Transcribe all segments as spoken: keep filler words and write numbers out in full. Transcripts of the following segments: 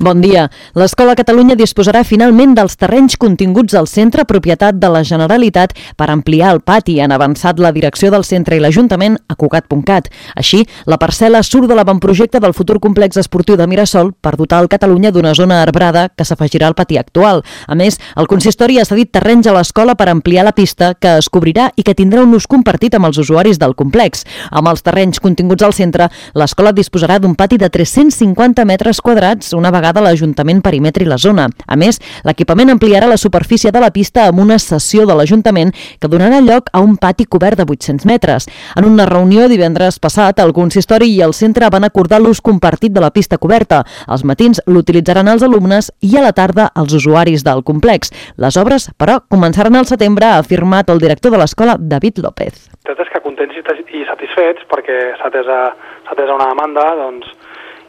Bon dia. L'Escola Catalunya disposarà finalment dels terrenys continguts al centre, propietat de la Generalitat, per ampliar el pati. Han avançat la direcció del centre i l'Ajuntament a Cugat punt cat. Així, la parcel·la surt de l'avantprojecte del futur complex esportiu de Mirasol per dotar el Catalunya d'una zona arbrada que s'afegirà al pati actual. A més, el consistori ha cedit terrenys a l'escola per ampliar la pista, que es cobrirà i que tindrà un ús compartit amb els usuaris del complex. Amb els terrenys continguts al centre, l'escola disposarà d'un pati de tres-cents cinquanta metres quadrats, una vegada l'Ajuntament perimetri la zona. A més, l'equipament ampliarà la superfície de la pista amb una cessió de l'Ajuntament que donarà lloc a un pati cobert de vuit-cents metres. En una reunió divendres passat, el consistori i el centre van acordar l'ús compartit de la pista coberta. Als matins l'utilitzaran els alumnes i a la tarda els usuaris del complex. Les obres, però, començaran al setembre, ha afirmat el director de l'escola, David López. Tot és que contents i satisfets perquè s'ha atès a una demanda, doncs,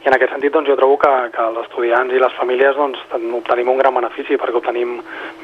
i en aquest sentit doncs, jo trobo que, que els estudiants i les famílies doncs, obtenim un gran benefici perquè obtenim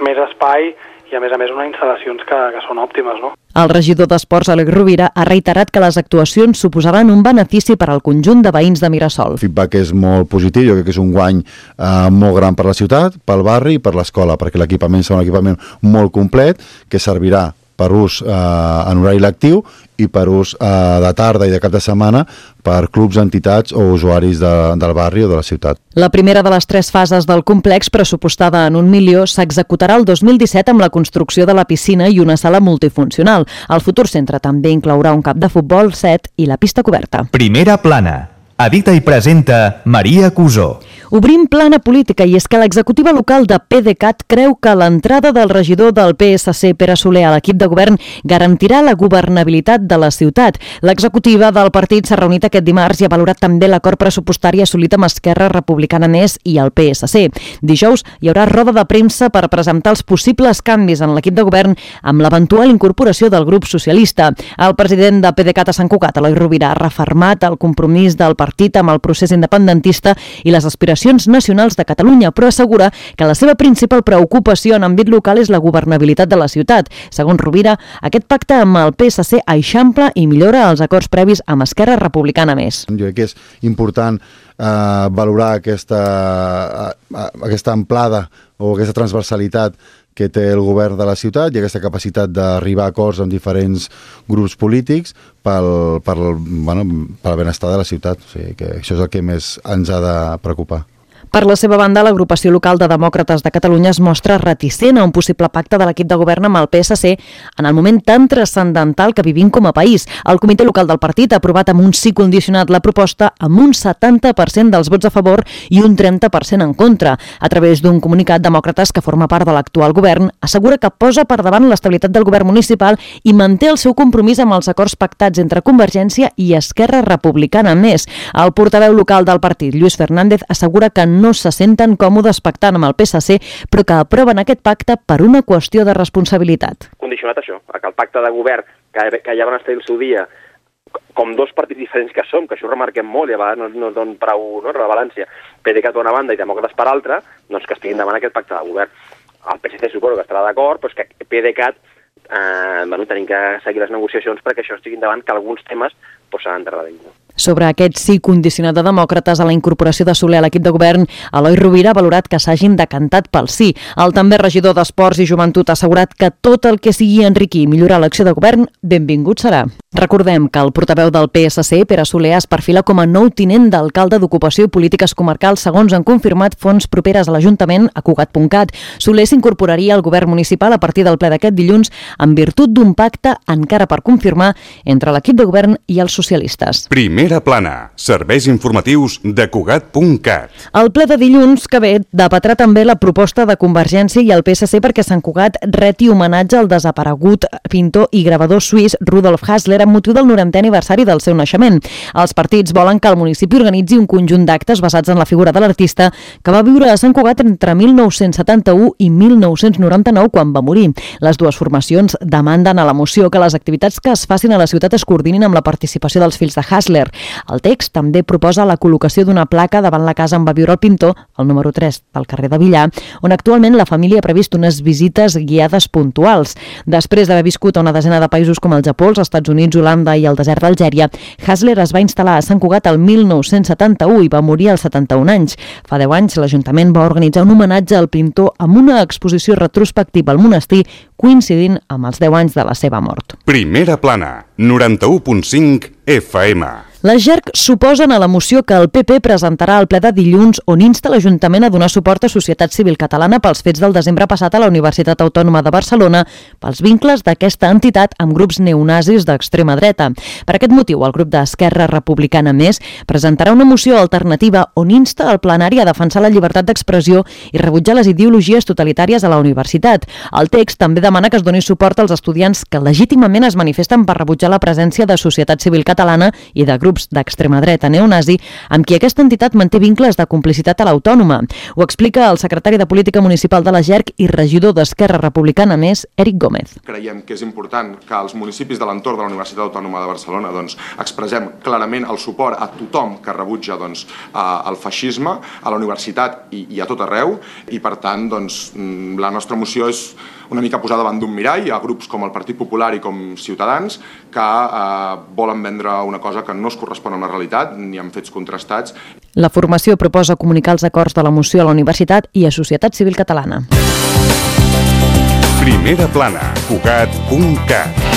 més espai i a més a més unes instal·lacions que, que són òptimes, no? El regidor d'Esports, Àlex Rovira, ha reiterat que les actuacions suposaran un benefici per al conjunt de veïns de Mirasol. El feedback és molt positiu, jo crec que és un guany eh, molt gran per la ciutat, pel barri i per l'escola, perquè l'equipament serà un equipament molt complet que servirà per ús eh, en horari lectiu i per ús eh, de tarda i de cap de setmana per clubs, entitats o usuaris de, del barri o de la ciutat. La primera de les tres fases del complex, pressupostada en un milió, s'executarà el dos mil disset amb la construcció de la piscina i una sala multifuncional. El futur centre també inclourà un camp de futbol, set i la pista coberta. Primera plana. Edita i presenta Maria Cusó. Obrim plana política, i és que l'executiva local de PDeCAT creu que l'entrada del regidor del P S C, Pere Soler, a l'equip de govern garantirà la governabilitat de la ciutat. L'executiva del partit s'ha reunit aquest dimarts i ha valorat també l'acord pressupostari assolit amb Esquerra Republicana Més i el P S C. Dijous hi haurà roda de premsa per presentar els possibles canvis en l'equip de govern amb l'eventual incorporació del grup socialista. El president de PDeCAT a Sant Cugat, Eloi Rovira, ha refermat el compromís del partit amb el procés independentista i les aspiracions nacionals de Catalunya, però assegura que la seva principal preocupació en àmbit local és la governabilitat de la ciutat. Segons Rovira, aquest pacte amb el P S C eixampla i millora els acords previs amb Esquerra Republicana Més. Jo crec que és important eh, valorar aquesta, eh, aquesta amplada o aquesta transversalitat que té el govern de la ciutat i aquesta capacitat d'arribar a acords amb diferents grups polítics pel, pel, bueno, pel benestar de la ciutat. O sigui, que això és el que més ens ha de preocupar. Per la seva banda, l'agrupació local de Demòcrates de Catalunya es mostra reticent a un possible pacte de l'equip de govern amb el P S C en el moment tan transcendental que vivim com a país. El comitè local del partit ha aprovat amb un sí condicionat la proposta amb un setanta per cent dels vots a favor i un trenta per cent en contra. A través d'un comunicat, Demòcrates, que forma part de l'actual govern, assegura que posa per davant l'estabilitat del govern municipal i manté el seu compromís amb els acords pactats entre Convergència i Esquerra Republicana Més. El portaveu local del partit, Lluís Fernández, assegura que no se senten còmodes pactant amb el P S C, però que aproven aquest pacte per una qüestió de responsabilitat. Condicionat això, que el pacte de govern que, que ja van estar el seu dia, com dos partits diferents que som, que això ho remarquem molt i a vegades no, no donen prou no, rellevància, PDeCAT per una banda i Demòcrates per altra, doncs que estiguin davant aquest pacte de govern. El P S C suposo que estarà d'acord, però és que PDeCAT eh, bueno, tenim que seguir les negociacions perquè això estigui davant, que alguns temes pues, s'han d'endarrerir. No? Sobre aquest sí condicionat de Demòcrates a la incorporació de Soler a l'equip de govern, Eloi Rovira ha valorat que s'hagin decantat pel sí. El també regidor d'Esports i Joventut ha assegurat que tot el que sigui enriquir i millorar l'acció de govern, benvingut serà. Recordem que el portaveu del P S C, Pere Soler, es perfila com a nou tinent d'alcalde d'Ocupació i Polítiques Comarcals, segons han confirmat fonts properes a l'Ajuntament a Cugat punt cat. Soler s'incorporaria al govern municipal a partir del ple d'aquest dilluns en virtut d'un pacte encara per confirmar entre l'equip de govern i els socialistes. Primera plana. Serveis informatius de Cugat punt cat. El ple de dilluns que ve debatrà també la proposta de Convergència i el P S C perquè Sant Cugat reti homenatge al desaparegut pintor i gravador suís Rudolf Hassler amb motiu del norantè aniversari del seu naixement. Els partits volen que el municipi organitzi un conjunt d'actes basats en la figura de l'artista que va viure a Sant Cugat entre mil nou-cents setanta-u i mil nou-cents noranta-nou quan va morir. Les dues formacions demanden a la moció que les activitats que es facin a la ciutat es coordinin amb la participació dels fills de Hassler. El text també proposa la col·locació d'una placa davant la casa on va viure el pintor, el número tres del carrer de Villar, on actualment la família ha previst unes visites guiades puntuals. Després d'haver viscut a una desena de països com el Japó, els Estats Units, Holanda i el desert d'Algèria, Hasler es va instal·lar a Sant Cugat el mil nou-cents setanta-u i va morir als setanta-un anys. Fa deu anys, l'Ajuntament va organitzar un homenatge al pintor amb una exposició retrospectiva al monestir, coincidint amb els deu anys de la seva mort. Primera plana, noranta-u punt cinc F M. Les G E R C s'oposen a la moció que el P P presentarà al ple de dilluns on insta l'Ajuntament a donar suport a Societat Civil Catalana pels fets del desembre passat a la Universitat Autònoma de Barcelona pels vincles d'aquesta entitat amb grups neonazis d'extrema dreta. Per aquest motiu, el grup d'Esquerra Republicana Més presentarà una moció alternativa on insta al plenari a defensar la llibertat d'expressió i rebutjar les ideologies totalitàries a la universitat. El text també demana que es doni suport als estudiants que legítimament es manifesten per rebutjar la presència de Societat Civil Catalana i de grups d'extrema dreta neonazi amb qui aquesta entitat manté vincles de complicitat a l'Autònoma. Ho explica el secretari de Política Municipal de la G E R C i regidor d'Esquerra Republicana Més, Eric Gómez. Creiem que és important que els municipis de l'entorn de la Universitat Autònoma de Barcelona doncs, expressem clarament el suport a tothom que rebutja doncs, el feixisme a la universitat i, i a tot arreu, i per tant doncs, la nostra moció és una mica posar davant d'un mirall a grups com el Partit Popular i com Ciutadans que eh, volen vendre una cosa que no es correspon amb la realitat ni amb fets contrastats. La formació proposa comunicar els acords de la moció a la Universitat i a Societat Civil Catalana. Primera plana, Cugat punt cat.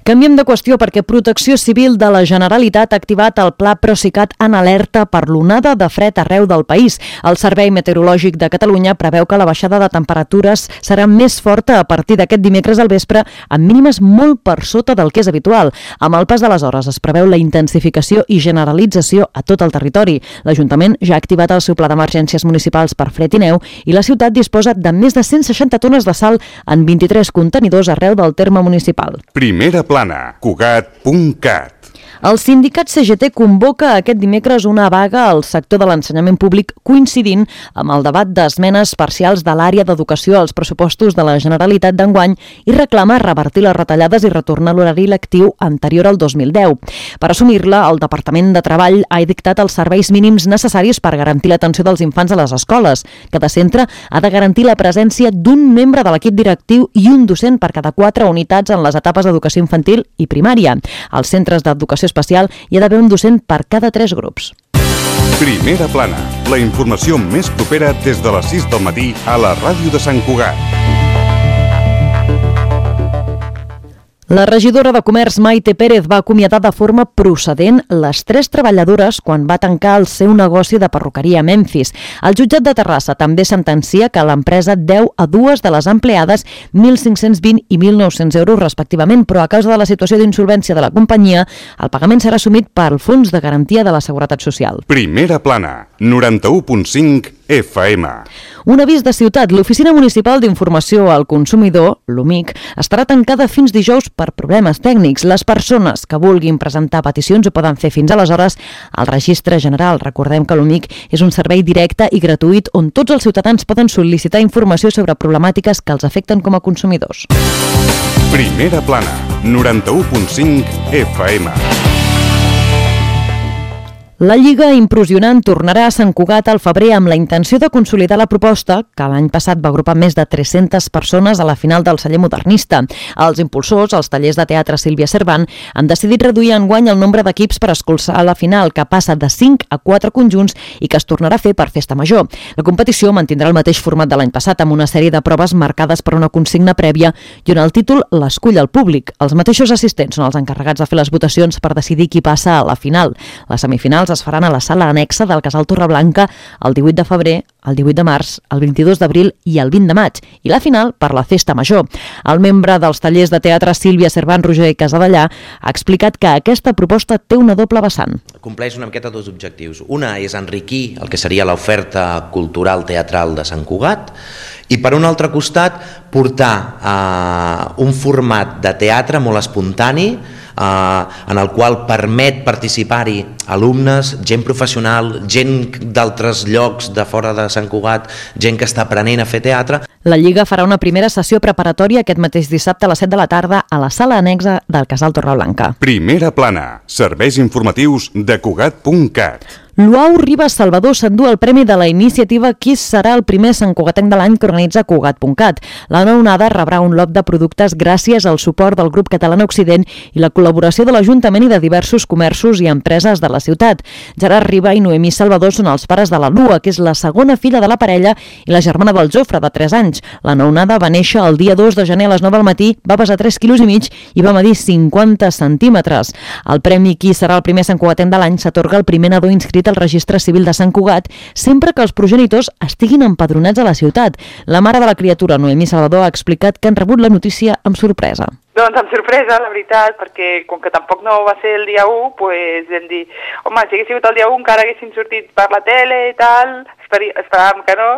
Canviem de qüestió perquè Protecció Civil de la Generalitat ha activat el Pla Procicat en alerta per l'onada de fred arreu del país. El Servei Meteorològic de Catalunya preveu que la baixada de temperatures serà més forta a partir d'aquest dimecres al vespre, amb mínimes molt per sota del que és habitual. Amb el pas de les hores es preveu la intensificació i generalització a tot el territori. L'Ajuntament ja ha activat el seu pla d'emergències municipals per fred i neu i la ciutat disposa de més de cent seixanta tones de sal en vint-i-tres contenidors arreu del terme municipal. Primera plana, Cugat punt cat. El sindicat C G T convoca aquest dimecres una vaga al sector de l'ensenyament públic coincidint amb el debat d'esmenes parcials de l'àrea d'educació als pressupostos de la Generalitat d'enguany i reclama revertir les retallades i retornar l'horari lectiu anterior al dos mil deu. Per assumir-la, el Departament de Treball ha dictat els serveis mínims necessaris per garantir l'atenció dels infants a les escoles. Cada centre ha de garantir la presència d'un membre de l'equip directiu i un docent per cada quatre unitats en les etapes d'educació infantil i primària. Als centres d'educació especial hi ha d'haver un docent per cada tres grups. Primera plana, la informació més propera des de les sis del matí a la ràdio de Sant Cugat. La regidora de Comerç, Maite Pérez, va acomiadar de forma procedent les tres treballadores quan va tancar el seu negoci de perruqueria a Memphis. El jutjat de Terrassa també sentencia que l'empresa deu a dues de les empleades mil cinc-cents vint i mil nou-cents euros respectivament, però a causa de la situació d'insolvència de la companyia, el pagament serà assumit pel Fons de Garantia de la Seguretat Social. Primera plana, noranta-u punt cinc F M. Un avís de ciutat. L'Oficina Municipal d'Informació al Consumidor, l'O M I C, estarà tancada fins dijous per problemes tècnics. Les persones que vulguin presentar peticions ho poden fer fins aleshores al Registre General. Recordem que l'O M I C és un servei directe i gratuït on tots els ciutadans poden sol·licitar informació sobre problemàtiques que els afecten com a consumidors. Primera plana, noranta-u punt cinc F M. La Lliga Impressionant tornarà a Sant Cugat al febrer amb la intenció de consolidar la proposta que l'any passat va agrupar més de tres-centes persones a la final del celler modernista. Els impulsors, els tallers de teatre Sílvia Cervant, han decidit reduir enguany el nombre d'equips per escoltar la final, que passa de cinc a quatre conjunts i que es tornarà a fer per festa major. La competició mantindrà el mateix format de l'any passat amb una sèrie de proves marcades per una consigna prèvia i on el títol l'escull el públic. Els mateixos assistents són els encarregats de fer les votacions per decidir qui passa a la final. Les semifinals es faran a la sala anexa del Casal Torreblanca el divuit de febrer, el divuit de març, el vint-i-dos d'abril i el vint de maig, i la final per la festa major. El membre dels tallers de teatre Sílvia Cervant Roger i Casadellà ha explicat que aquesta proposta té una doble vessant. Compleix una miqueta dos objectius. Una és enriquir el que seria l'oferta cultural teatral de Sant Cugat i per un altre costat portar eh, un format de teatre molt espontani eh, en el qual permet participar-hi alumnes, gent professional, gent d'altres llocs de fora de Sant Cugat, gent que està aprenent a fer teatre. La Lliga farà una primera sessió preparatòria aquest mateix dissabte a les set de la tarda a la sala anexa del Casal Torreblanca. Primera plana, serveis informatius de Cugat punt cat. Luau Ribas Salvador s'endú el premi de la iniciativa Qui serà el primer santcugatenc de l'any que organitza Cugat punt cat. La nounada rebrà un lot de productes gràcies al suport del grup Catalana Occident i la col·laboració de l'Ajuntament i de diversos comerços i empreses de la ciutat. Gerard Riba i Noemí Salvador són els pares de la Lua, que és la segona filla de la parella i la germana del Jofre, de tres anys. La nounada va néixer el dia dos de gener a les nou del matí, va pesar tres quilos i mig i va medir cinquanta centímetres. El premi Qui serà el primer santcugatenc de l'any s'atorga al primer nadó inscrit al registre civil de Sant Cugat sempre que els progenitors estiguin empadronats a la ciutat. La mare de la criatura, Noemí Salvador, ha explicat que han rebut la notícia amb sorpresa. Doncs amb sorpresa, la veritat, perquè com que tampoc no va ser el dia u, pues vam dir, home, si hagués sigut el dia u encara haguessin sortit per la tele i tal, esperàvem que no,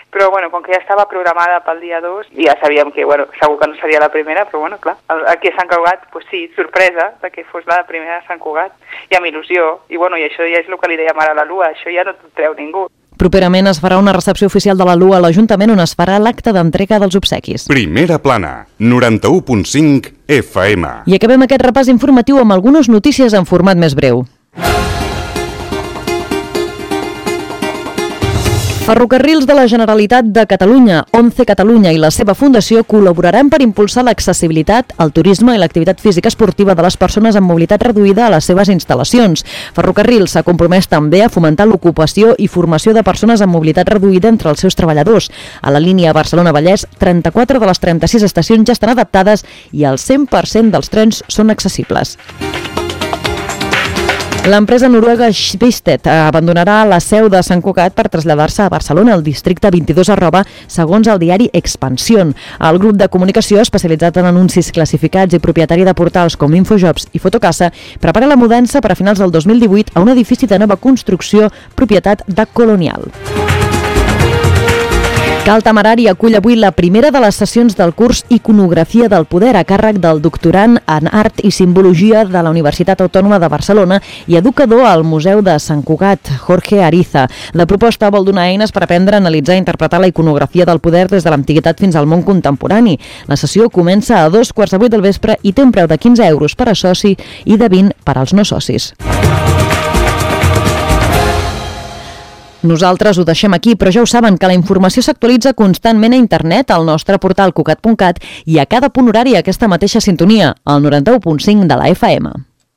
però bueno, com que ja estava programada pel dia dos, ja sabíem que, bueno, segur que no seria la primera, però bueno, clar, aquí a Sant Cugat, pues sí, sorpresa de que fos la primera de Sant Cugat, i amb il·lusió, i bueno, i això ja és el que li dèiem ara a la Lua, això ja no t'ho treu ningú. Properament es farà una recepció oficial de la Lua a l'Ajuntament on es farà l'acte d'entrega dels obsequis. Primera plana, noranta-u punt cinc F M. I acabem aquest repàs informatiu amb algunes notícies en format més breu. Ferrocarrils de la Generalitat de Catalunya, Once Catalunya i la seva fundació col·laboraran per impulsar l'accessibilitat, el turisme i l'activitat física esportiva de les persones amb mobilitat reduïda a les seves instal·lacions. Ferrocarrils s'ha compromès també a fomentar l'ocupació i formació de persones amb mobilitat reduïda entre els seus treballadors. A la línia Barcelona-Vallès, trenta-quatre de les trenta-sis estacions ja estan adaptades i el cent per cent dels trens són accessibles. L'empresa noruega Schibsted abandonarà la seu de Sant Cugat per traslladar-se a Barcelona, al districte vint-i-dos arroba, segons el diari Expansión. El grup de comunicació especialitzat en anuncis classificats i propietari de portals com Infojobs i Fotocasa prepara la mudança per a finals del dos mil divuit a un edifici de nova construcció propietat de Colonial. Cal Temerari acull avui la primera de les sessions del curs Iconografia del Poder a càrrec del doctorand en Art i Simbologia de la Universitat Autònoma de Barcelona i educador al Museu de Sant Cugat, Jorge Ariza. La proposta vol donar eines per aprendre a analitzar i interpretar la iconografia del poder des de l'antiguitat fins al món contemporani. La sessió comença a dos quarts de vuit del vespre i té un preu de quinze euros per a soci i de vint per als no socis. Nosaltres ho deixem aquí, però ja ho saben que la informació s'actualitza constantment a internet al nostre portal cugat punt cat i a cada punt horari a aquesta mateixa sintonia, al noranta-u punt cinc de la F M.